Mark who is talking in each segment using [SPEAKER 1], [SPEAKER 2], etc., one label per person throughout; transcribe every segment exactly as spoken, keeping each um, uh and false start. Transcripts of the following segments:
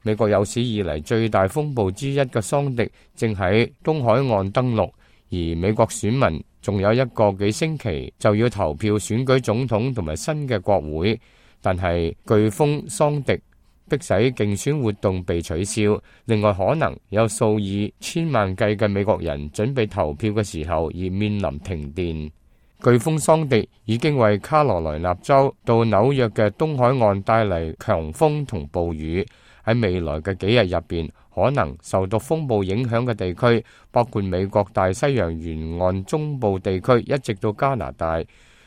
[SPEAKER 1] 美國有史以嚟最大風暴之一嘅桑迪正喺東海岸登陸，而美國選民仲有一個幾星期就要投票選舉總統同埋新嘅國會，但係颶風桑迪迫使競選活動被取消。另外，可能有數以千萬計嘅美國人準備投票嘅時候而面臨停電。颶風桑迪已經為卡羅來納州到紐約嘅東海岸帶嚟強風同暴雨。喺未來嘅幾日入邊，可能受到風暴影響嘅地區包括美國大西洋沿岸中部地區一直到加拿大。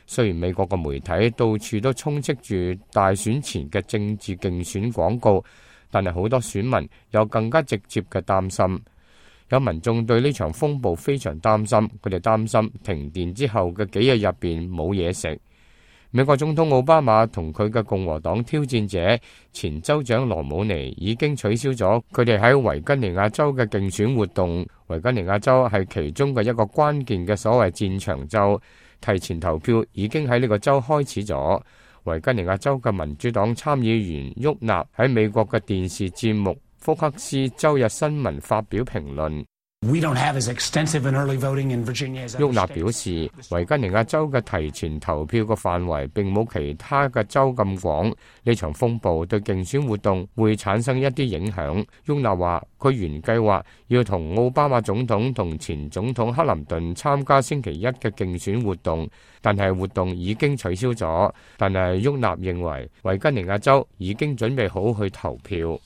[SPEAKER 1] 雖然美國嘅媒體到處都充斥住大選前嘅政治競選廣告，但係好多選民有更加直接嘅擔心。有民眾對呢場風暴非常擔心，佢哋擔心停電之後嘅幾日入邊冇嘢食。美國總統奧巴馬同佢嘅共和黨挑戰者前州長羅姆尼已經取消咗佢哋喺維吉尼亞州嘅競選活動。維吉尼亞州係其中嘅一個關鍵嘅所謂戰場州，提前投票已經喺呢個州開始咗。維吉尼亞州嘅民主黨參議員沃納喺美國嘅電視節目福克斯周日新聞發表評論。
[SPEAKER 2] We don't have as extensive an early voting in Virginia as other states.
[SPEAKER 1] 沃納表示，維吉尼亞州嘅提前投票嘅範圍並冇其他嘅州咁廣。呢場風暴對競選活動會產生一啲影響。沃納話，佢原計劃要同奧巴馬總統同前總統克林頓參加星期一嘅競選活動，但係活動已經取消咗。但係沃納認為，維吉尼亞州已經準備好去投票。